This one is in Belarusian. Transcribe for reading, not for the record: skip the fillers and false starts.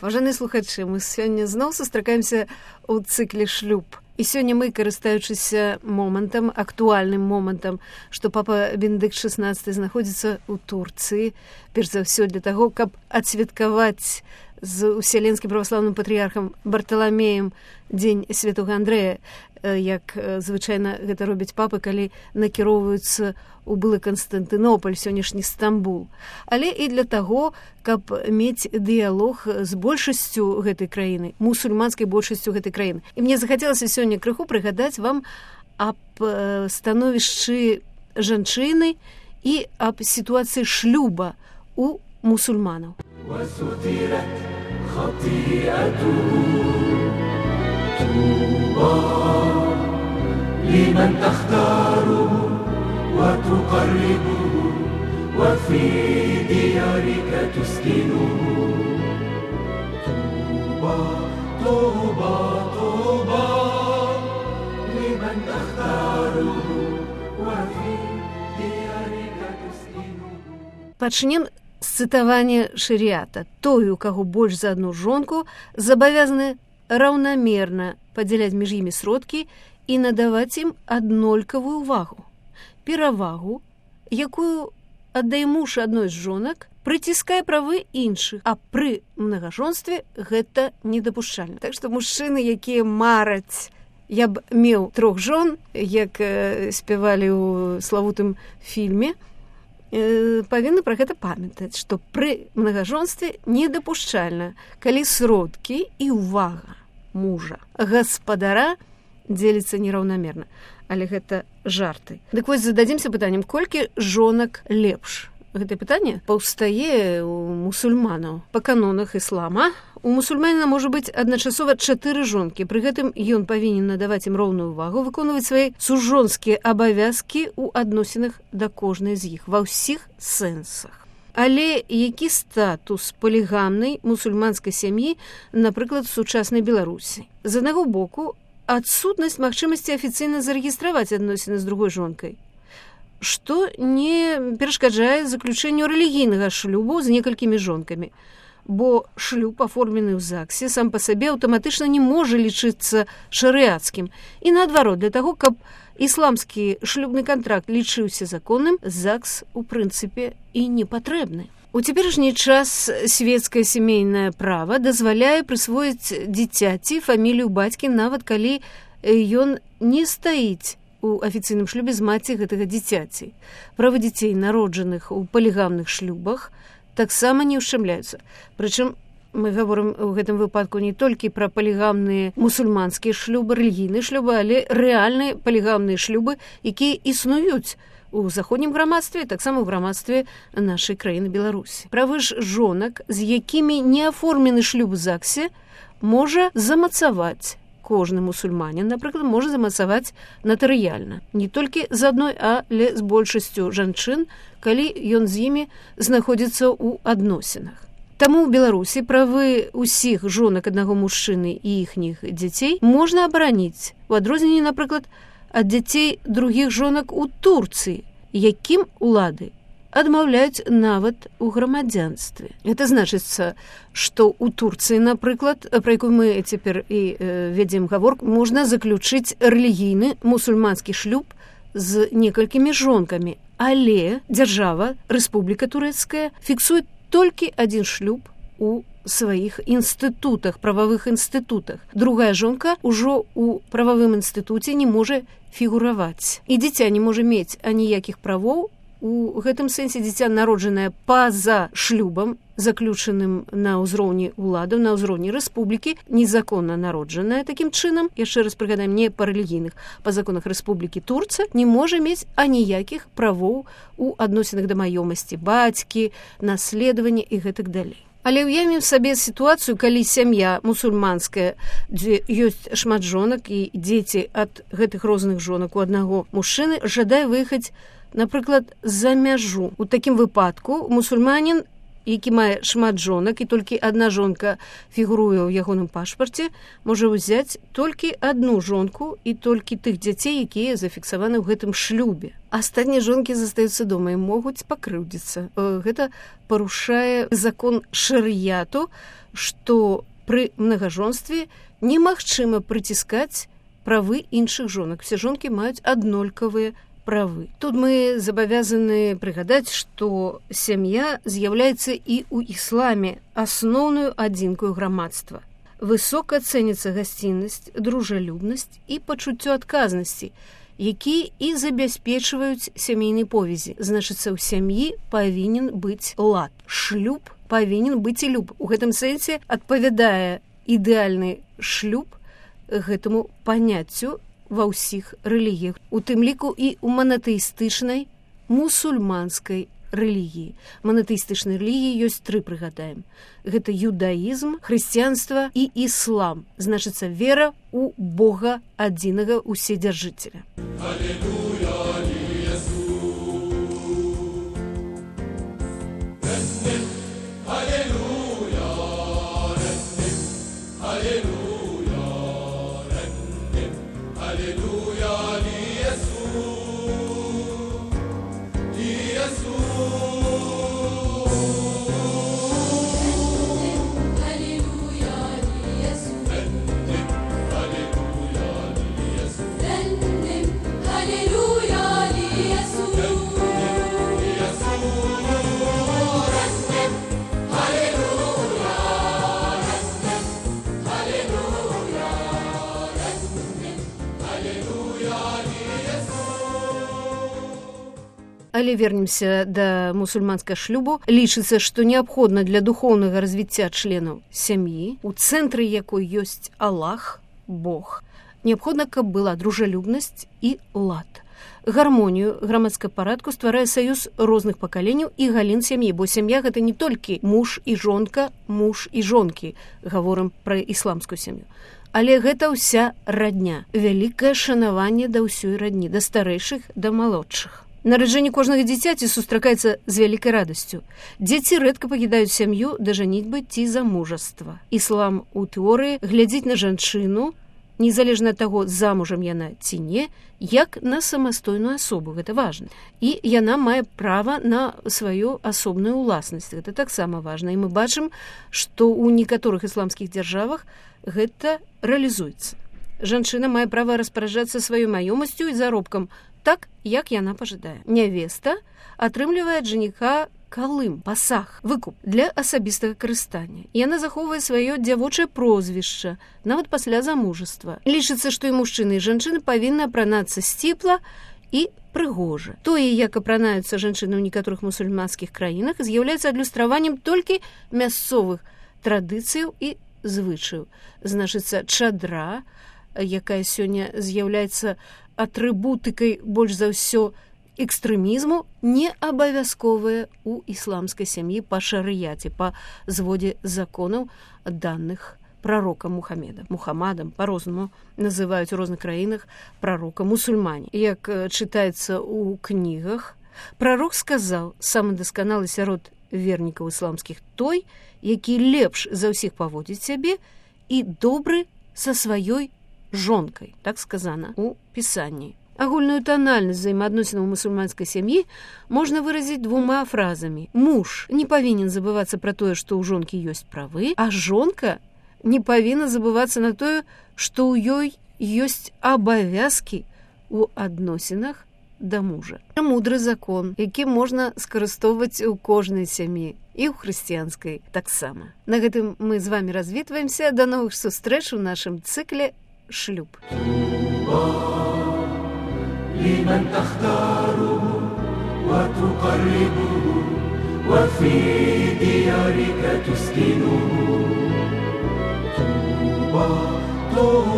Паважаныя слухачы, мы сёння зноў сустракаемся ў цыкле шлюб. І сёння мы, карыстаючыся момантам, актуальным момантам, што папа Бенедыкт XVI знаходзіцца ў Турцыі, перш за ўсё для таго, каб адсвяткаваць з уселенскім праваслаўным патрыярхам Барталамеем дзень святога Андрэя, як звычайна гэта робяць папы, калі накіроўваюцца ў былы Канстантынополь, сённяшні Стамбул. Але і для таго, каб мець дыялог з большасцю гэтай краіны, мусульманскай большасцю гэтай краіны. І мне захацелася сёння крыху прыгадаць вам аб становішчы жанчыны і аб сітуацыі шлюба у мусульманаў. لمن تختاره وتقربه وفي ديارك تسكنه طوبى طوبى طوبى لمن تختاره وفي ديارك تسكنه. Пачнем з цытавання шарыята. Той, у каго больш за адну жонку, забавязаны раўнамерна падзяляць між імі сродкі і надаваць ім аднолькавую ўвагу. Перавагу, якую аддае муж адной з жонак, прыціскае правы іншых, а пры мнагажонстве гэта недапушчальна. Так што мужчыны, якія мараць, я б меў 3 жон, як спявалі ў славутым фільме, павінны пра гэта памятаць, што пры мнагажонстве недапушчальна, калі сродкі і ўвага мужа, гаспадара дзеліцца нераўнамерна. Але гэта жарты. Дык вось зададзімся пытаннем, колькі жонак лепш? Гэтае пытанне паўстае у мусульманаў. Па канонах іслама у мусульманіна можа быць адначасова 4 жонкі. Пры гэтым ён павінен надаваць ім роўную ўвагу, выконваць свае сужонскія абавязкі ў адносінах да кожнай з іх, ва ўсіх сэнсах. Але які статус палігамнай мусульманскай сям'і, напрыклад, у сучаснай Беларусі? З аднаго боку, адсутнасць магчымасці афіцыйна зарэгістраваць адносіны з другой жонкай, што не перашкаджае заключэнню рэлігійнага шлюбу з некалькімі жонкамі, бо шлюб, аформлены ў ЗАГСе, сам па сабе аўтаматычна не можа лічыцца шарыяцкім. І наадварот, для таго, каб ісламскі шлюбны кантракт лічыўся законным, ЗАГС, у прынцыпе, і не патрэбны. У цяперашні час свецкае сямейнае права дазваляе прысвоіць дзіцяці фамілію бацькі, нават калі ён не стаіць у афіцыйным шлюбе з маці гэтага дзіцяці. Правы дзяцей, народжаных у палігамных шлюбах, таксама не ўшчамляюцца. Прычым мы гаворым у гэтым выпадку не толькі пра палігамныя мусульманскія шлюбы, рэлігійныя шлюбы, але рэальныя палігамныя шлюбы, якія існуюць у заходнім грамадстве, таксама ў грамадстве нашай краіны Беларусі. Правы ж жонак, з якімі не аформлены шлюб у ЗАГСе, можа замацаваць кожны мусульманін, напрыклад, можа замацаваць натарыяльна. Не толькі з адной, але з большасцю жанчын, калі ён з імі знаходзіцца ў адносінах. Таму ў Беларусі правы ўсіх жонак аднаго мужчыны і іхніх дзяцей можна абараніць, у адрозненні, напрыклад, ад дзяцей другіх жонак у Турцыі, якім улады адмаўляюць нават у грамадзянстве. Гэта значыцца, што ў Турцыі, напрыклад, пра якую мы цяпер і вядзем гаворку, можна заключыць рэлігійны мусульманскі шлюб з некалькімі жонкамі, але дзяржава, рэспубліка турэцкая, фіксуе толькі адзін шлюб у сваіх інстытутах, прававых інстытутах. Другая жонка ўжо ў прававым інстытуце не можа фігураваць. І дзіця не можа мець аніякіх правоў. У гэтым сэнсе дзіця, народжанае па-за шлюбам, заключаным на ўзроўні ўладаў, на ўзроўні рэспублікі, незаконна народжанае такім чынам, яшчэ раз прыгадаем, не па рэлігійных, па законах рэспублікі Турцыя, не можа мець аніякіх правоў у адносінах да маёмасці бацькі, наследавання і гэтак далей. Але ўявім сабе сітуацыю, калі сям'я мусульманская, дзе ёсць шмат жонак і дзеці ад гэтых розных жонак у аднаго мужчыны, жадае выехаць, напрыклад, за мяжу. У такім выпадку мусульманін які мае шмат жонак і толькі адна жонка фігуруе ў ягоным пашпарце, можа ўзяць толькі адну жонку і толькі тых дзяцей, якія зафіксаваны ў гэтым шлюбе. Астатнія жонкі застаюцца дома і могуць пакрыўдзіцца. Гэта парушае закон шарыяту, што пры мнагажонстве немагчыма прыціскаць правы іншых жонак. Все жонкі маюць аднолькавыя правы. Тут мы забавязаны прыгадаць, што сям'я з'яўляецца і ў ісламе асноўную адзінкаю грамадства. Высока цэніцца гасціннасць, дружалюбнасць і пачуццё адказнасці, якія і забяспечваюць сямейнай повязі. Значыцца, у сям'і павінен быць лад. Шлюб павінен быць і люб. У гэтым сэнсе адпавядае ідэальны шлюб гэтаму паняццю ва ўсіх рэлігіях, у тым ліку і ў манатэістычнай мусульманскай рэлігіі. Манатэістычнай рэлігіі ёсць 3, прыгадаем. Гэта юдаізм, хрысціянства і іслам. Значыцца, вера ў Бога адзінага ўседзяржыцеля. Алелуя, Але вернемся да мусульманскага шлюбу. Лічыцца, што неабходна для духоўнага развіцця членаў сям'і, у цэнтры якой ёсць Аллах, Бог, неабходна, каб была дружалюбнасць і лад. Гармонію грамадскага парадку стварае саюз розных пакаленняў і галін сям'і, бо сям'я гэта не толькі муж і жонка, муж і жонкі, гаворым пра ісламскую сям'ю. Але гэта ўся радня, вялікае шанаванне да ўсёй радні, да старэйшых, да малодшых. Нараджэнне кожнага дзіцяці сустракаецца з вялікай радасцю. Дзеці рэдка пакідаюць сям'ю да жаніцьбы ці замужаства. Іслам у тэорыі глядзіць на жанчыну, незалежна ад таго, замужам яна ці не, як на самастойную асобу, гэта важна. І яна мае права на сваю асобную ўласнасць, гэта таксама важна. І мы бачым, што ў некаторых ісламскіх дзяржавах гэта рэалізуецца. Жанчына мае права распараджацца сваёй маёмасцю і заробкам так, як яна пажадае. Нявеста атрымлівае ад жаніха калым, пасаг, выкуп для асабістага карыстання. Яна захоўвае сваё дзявочае прозвішча, нават пасля замужаства. Лічыцца, што і мужчыны, і жанчыны павінны апранацца сціпла і прыгожа. Тое, як апранаюцца жанчыны ў некаторых мусульманскіх краінах, з'яўляецца адлюстраваннем толькі мясцовых традыцыяў і звычаяў. Значыцца, чадра, якая сёння з'яўляецца атрыбутыкай больш за ўсё экстрэмізму, не абавязковая ў ісламскай сям'і па шарыяце, па зводзе законаў, даных прарокам Мухаммадам, па-рознаму называюць у розных краінах прарока мусульмане. Як чытаецца ў кнігах, прарок сказаў: самы дасканалы сярод вернікаў ісламскіх той, які лепш за ўсіх паводзіць сябе і добры са сваёй жонкай, так сказана у пісанні. Агульную танальнасць взаемаадносінаў мусульманскай сям'і можна выразіць 2 фразамі. Муж не павінен забывацца пра тое, што ў жонкі ёсць правы, а жонка не павінна забывацца на тое, што ў ёй ёсць абавязкі ў адносінах да мужа. Мудры закон, які можна скарыстоўваць у кожнай сям'і, і ў хрысціянскай таксама. На гэтым мы з вамі развітваемся. Да новых сустрэч у нашым цыкле шлюб. لمن تختاره وتقربه وفي ديارك تسكنه طوبى